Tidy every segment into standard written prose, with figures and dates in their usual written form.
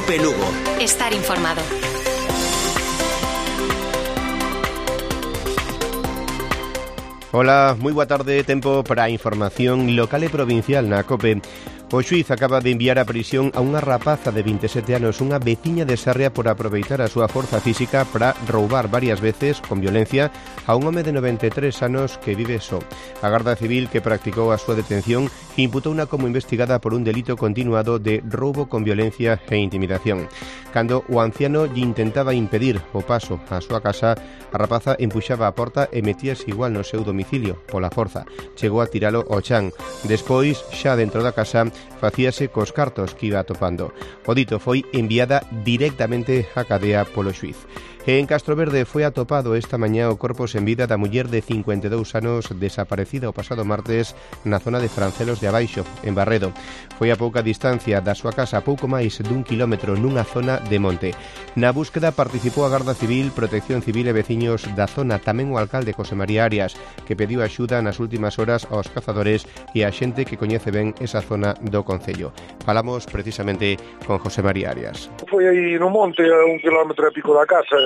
COPE Lugo. Estar informado. Ola, moi boa tarde, tempo para a información local e provincial na COPE. O xuíz acaba de enviar a prisión a unha rapaza de 27 anos, unha veciña de Sarria, por aproveitar a súa forza física para roubar varias veces, con violencia, a un home de 93 anos que vive só. A Garda Civil, que practicou a súa detención, imputouna como investigada por un delito continuado de roubo con violencia e intimidación. Cando o anciano lle intentaba impedir o paso á súa casa, a rapaza empuxaba a porta e metíase igual no seu domicilio, pola forza. Chegou a tiralo ao chan. Despois, xa dentro da casa, facíase cos cartos que iba atopando. O dito foi enviada directamente á cadea polo xuíz. E en Castroverde foi atopado esta mañá o corpo sen vida da muller de 52 anos desaparecida o pasado martes na zona de Francelos de Abaixo, en Barredo. Foi a pouca distancia da súa casa, a pouco máis dun kilómetro, nunha zona de monte. Na búsqueda participou a Garda Civil, Protección Civil e veciños da zona, tamén o alcalde José María Arias, que pediu axuda nas últimas horas aos cazadores e a xente que coñece ben esa zona do concello. Falamos precisamente con José María Arias. Foi aí no monte, a 1 kilómetro e pico da casa.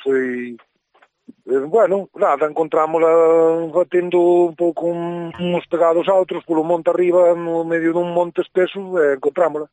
Foi, bueno, nada, encontrámola batendo un pouco uns pegados a outros polo monte arriba, no medio dun monte espeso, e encontrámola.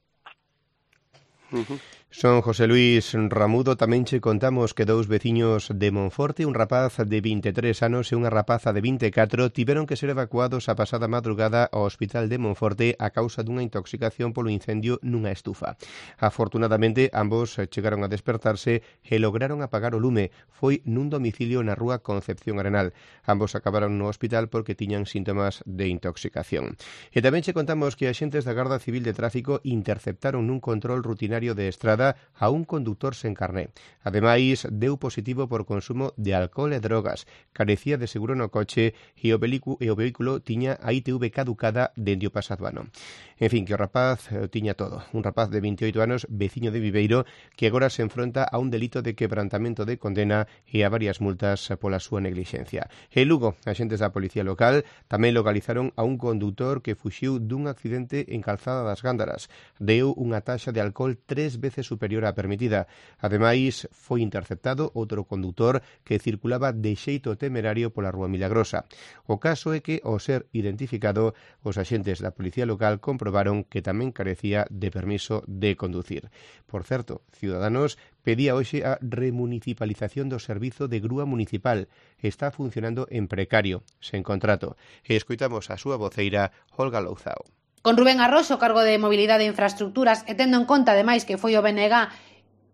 Son José Luis Ramudo. Tamén che contamos que dous veciños de Monforte, un rapaz de 23 anos e unha rapaza de 24, tiveron que ser evacuados a pasada madrugada ao hospital de Monforte a causa dunha intoxicación polo incendio nunha estufa. Afortunadamente, ambos chegaron a despertarse e lograron apagar o lume. Foi nun domicilio na rúa Concepción Arenal. Ambos acabaron no hospital porque tiñan síntomas de intoxicación. E tamén che contamos que axentes da Garda Civil de Tráfico interceptaron nun control rutinario de estrada a un conductor sen carné. Ademais, deu positivo por consumo de alcohol e drogas, carecía de seguro no coche e o vehículo tiña a ITV caducada dende o pasado ano. En fin, que o rapaz tiña todo. Un rapaz de 28 anos, veciño de Viveiro, que agora se enfronta a un delito de quebrantamento de condena e a varias multas pola súa neglixencia. En Lugo, axentes da Policía Local tamén localizaron a un condutor que fuxiu dun accidente en Calzada das Gándaras. Deu unha taxa de alcohol 3 veces superior á permitida. Ademais, foi interceptado outro condutor que circulaba de xeito temerario pola Rúa Milagrosa. O caso é que, ao ser identificado, os axentes da Policía Local comprobaron que tamén carecía de permiso de conducir. Por certo, Ciudadanos pedía hoxe a remunicipalización do servizo de grúa municipal. Está funcionando en precario, sen contrato. E escoitamos a súa voceira, Olga Louzao. Con Rubén Arroxo, cargo de Mobilidade e Infraestructuras, e tendo en conta, ademais, que foi o BNG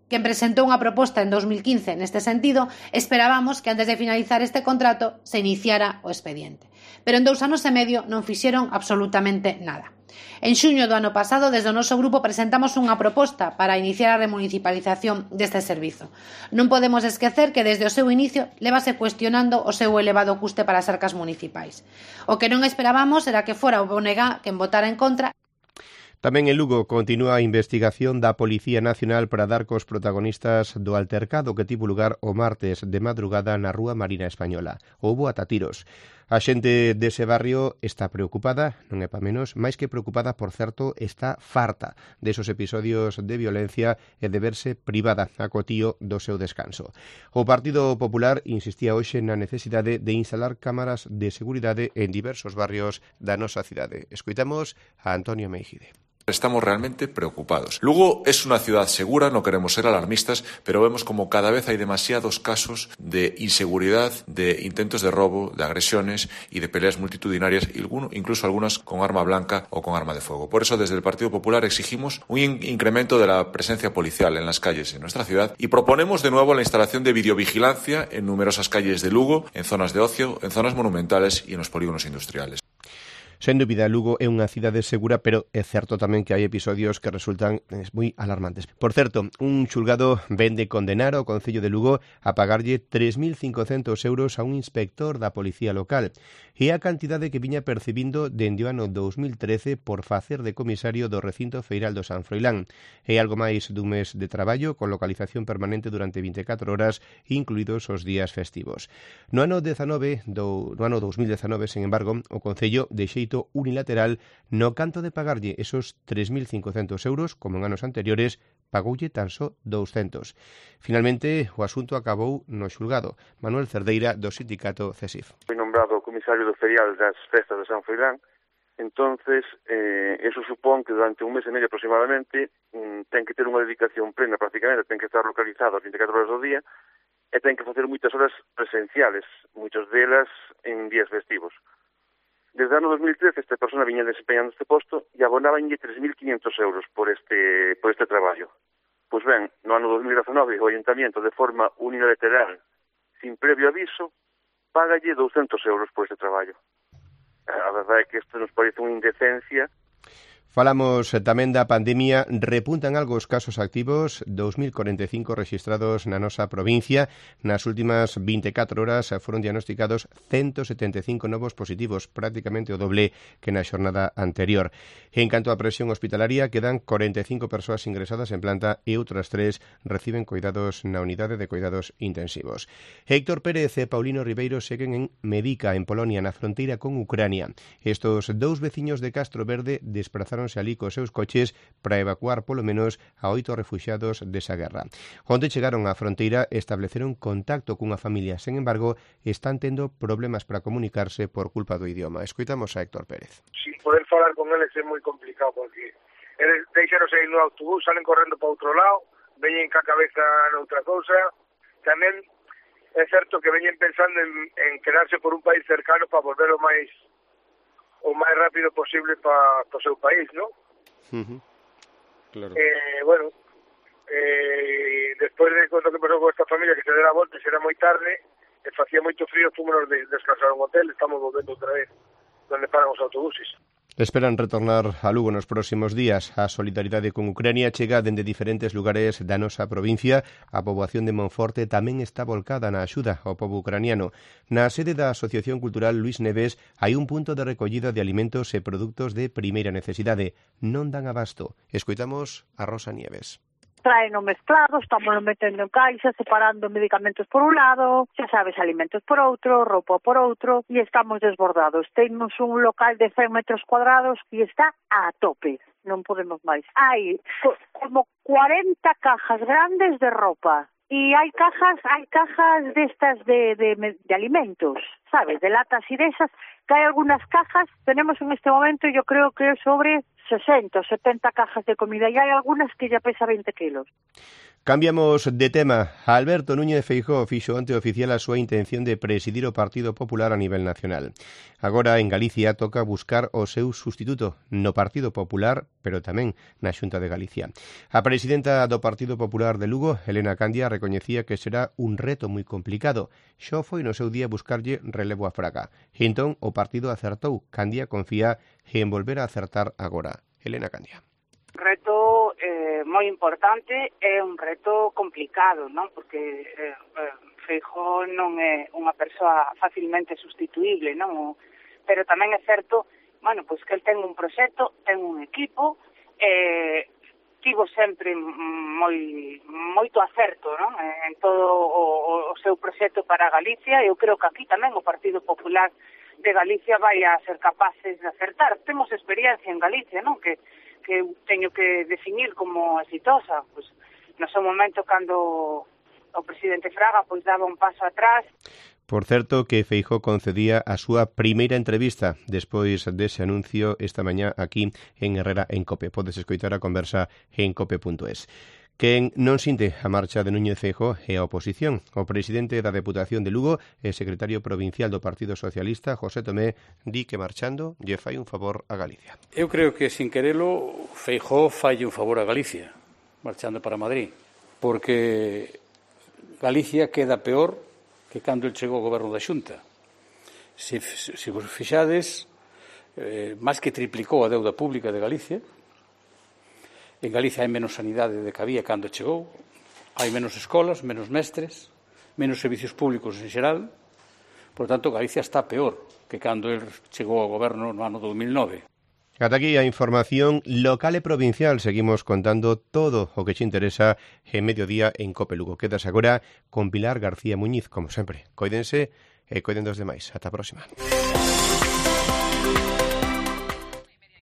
quen presentou unha proposta en 2015 neste sentido, esperábamos que antes de finalizar este contrato se iniciara o expediente. Pero en 2 anos e medio non fixeron absolutamente nada. En xuño do ano pasado, desde o noso grupo presentamos unha proposta para iniciar a remunicipalización deste servizo. Non podemos esquecer que desde o seu inicio levase cuestionando o seu elevado custe para as arcas municipais. O que non esperábamos era que fora o BNG quen votara en contra. Tamén en Lugo continúa a investigación da Policía Nacional para dar cos protagonistas do altercado que tivo lugar o martes de madrugada na Rúa Marina Española. Houbo ata tiros. A xente dese barrio está preocupada, non é pa menos, máis que preocupada, por certo, está farta desos episodios de violencia e de verse privada a cotío do seu descanso. O Partido Popular insistía hoxe na necesidade de instalar cámaras de seguridade en diversos barrios da nosa cidade. Escoitamos a Antonio Meijide. Estamos realmente preocupados. Lugo es una ciudad segura, no queremos ser alarmistas, pero vemos como cada vez hay demasiados casos de inseguridad, de intentos de robo, de agresiones y de peleas multitudinarias, incluso algunas con arma blanca o con arma de fuego. Por eso, desde el Partido Popular exigimos un incremento de la presencia policial en las calles en nuestra ciudad y proponemos de nuevo la instalación de videovigilancia en numerosas calles de Lugo, en zonas de ocio, en zonas monumentales y en los polígonos industriales. Sen dúbida, Lugo é unha cidade segura, pero é certo tamén que hai episodios que resultan moi alarmantes. Por certo, un xulgado vén de condenar ao Concello de Lugo a pagarlle 3.500 euros a un inspector da Policía Local. E a cantidade que viña percibindo dende o ano 2013 por facer de comisario do recinto feiral do San Froilán. É algo máis dun mes de traballo con localización permanente durante 24 horas, incluídos os días festivos. No ano 2019, sen embargo, o Concello de xeito unilateral no canto de pagarlle esos 3.500 euros, como en anos anteriores, pagoulle tan só 200. Finalmente, o asunto acabou no xulgado. Manuel Cerdeira, do sindicato CESIF. Foi nombrado comisario do ferial das festas de San Froilán. Entonces, eso supón que durante un mes e medio aproximadamente ten que ter unha dedicación plena prácticamente, ten que estar localizado as 24 horas do día e ten que facer moitas horas presenciales, moitas delas en días festivos. Desde o ano 2013 esta persona viña desempeñando este posto e abonabanlle 3.500 euros por este traballo. Pois ben, no ano 2019 o Ayuntamiento de forma unilateral, sin previo aviso, págalle 200 euros por este traballo. A verdade é que isto nos parece unha indecencia. Falamos tamén da pandemia. Repuntan algo os casos activos, 2.045 registrados na nosa provincia. Nas últimas 24 horas foron diagnosticados 175 novos positivos, prácticamente o doble que na xornada anterior. En canto á presión hospitalaria, quedan 45 persoas ingresadas en planta e outras 3 reciben cuidados na unidade de cuidados intensivos. Héctor Pérez e Paulino Ribeiro seguen en Medica, en Polonia, na fronteira con Ucrania. Estos dous veciños de Castro Verde desprazaron alí cos seus coches para evacuar polo menos a 8 refuxiados desa guerra. Onde chegaron á fronteira estableceron contacto cunha familia, sen embargo, están tendo problemas para comunicarse por culpa do idioma. Escoitamos a Héctor Pérez. Sin poder falar con eles é moi complicado, porque eles deixaronse aí no autobús, salen correndo para outro lado, veñen ca cabeza noutra cousa. Tamén é certo que veñen pensando en quedarse por un país cercano para volver o máis rápido posible para o seu país, ¿no? Claro. Despois de conto que pasou con esta familia, que se dera a volta, será moi tarde, e facía moito frío, fomos descansar a un hotel, estamos volvendo outra vez donde paran os autobuses. Esperan retornar a Lugo nos próximos días. A solidaridade con Ucrania chega dende diferentes lugares da nosa provincia. A poboación de Monforte tamén está volcada na axuda ao pobo ucraniano. Na sede da Asociación Cultural Luis Neves hai un punto de recollida de alimentos e produtos de primeira necesidade. Non dan abasto. Escoitamos a Rosa Nieves. Traeno mezclado, estamos metendo en caixa, separando medicamentos por un lado, xa sabes, alimentos por outro, roupa por outro, e estamos desbordados. Temos un local de 100 metros cuadrados e está a tope, non podemos máis. Hai como 40 cajas grandes de roupa, e hai cajas destas de alimentos, sabes, de latas e desas, que hai algunhas cajas, tenemos en este momento, yo creo que sobre 60 o 70 cajas de comida e hai algunhas que ya pesa 20 kilos. Cambiamos de tema. Alberto Núñez Feijóo fixo onte oficial a súa intención de presidir o Partido Popular a nivel nacional. Agora en Galicia toca buscar o seu sustituto no Partido Popular, pero tamén na Xunta de Galicia. A presidenta do Partido Popular de Lugo, Elena Candia, recoñecía que será un reto moi complicado. Xo foi no seu día buscarlle relevo a Fraga. E entón o partido acertou. Candia confía en volver a acertar agora. Elena Candia. Reto moi importante, é un reto complicado, non? Porque Feijóo non é unha persoa facilmente sustituíble, non? Pero tamén é certo, bueno, pois que el ten un proxecto, ten un equipo, tivo sempre moito acerto, non? En todo o seu proxecto para Galicia. Eu creo que aquí tamén o Partido Popular de Galicia vai a ser capaces de acertar. Temos experiencia en Galicia, non? Que teño que definir como exitosa, pois no seu momento cando o presidente Fraga pois daba un paso atrás. Por certo, que Feijóo concedía a súa primeira entrevista despois dese anuncio esta mañá aquí en Herrera en COPE. Podes escoitar a conversa en cope.es. Quen non sinte a marcha de Núñez Feijóo é a oposición. O presidente da Deputación de Lugo e secretario provincial do Partido Socialista, José Tomé, di que marchando lle fai un favor a Galicia. Eu creo que, sin querelo, Feijóo falle un favor a Galicia, marchando para Madrid, porque Galicia queda peor que cando el chegou ao goberno da Xunta. Se vos fixades, máis que triplicou a deuda pública de Galicia. En Galicia hai menos sanidade de que había cando chegou, hai menos escolas, menos mestres, menos servicios públicos en xeral. Por tanto, Galicia está peor que cando el chegou ao goberno no ano 2009. Ata aquí a información local e provincial. Seguimos contando todo o que te interesa en Mediodía en Cope Lugo. Quedas agora con Pilar García Muñiz, como sempre. Coídense e coiden dos demais. Ata a próxima.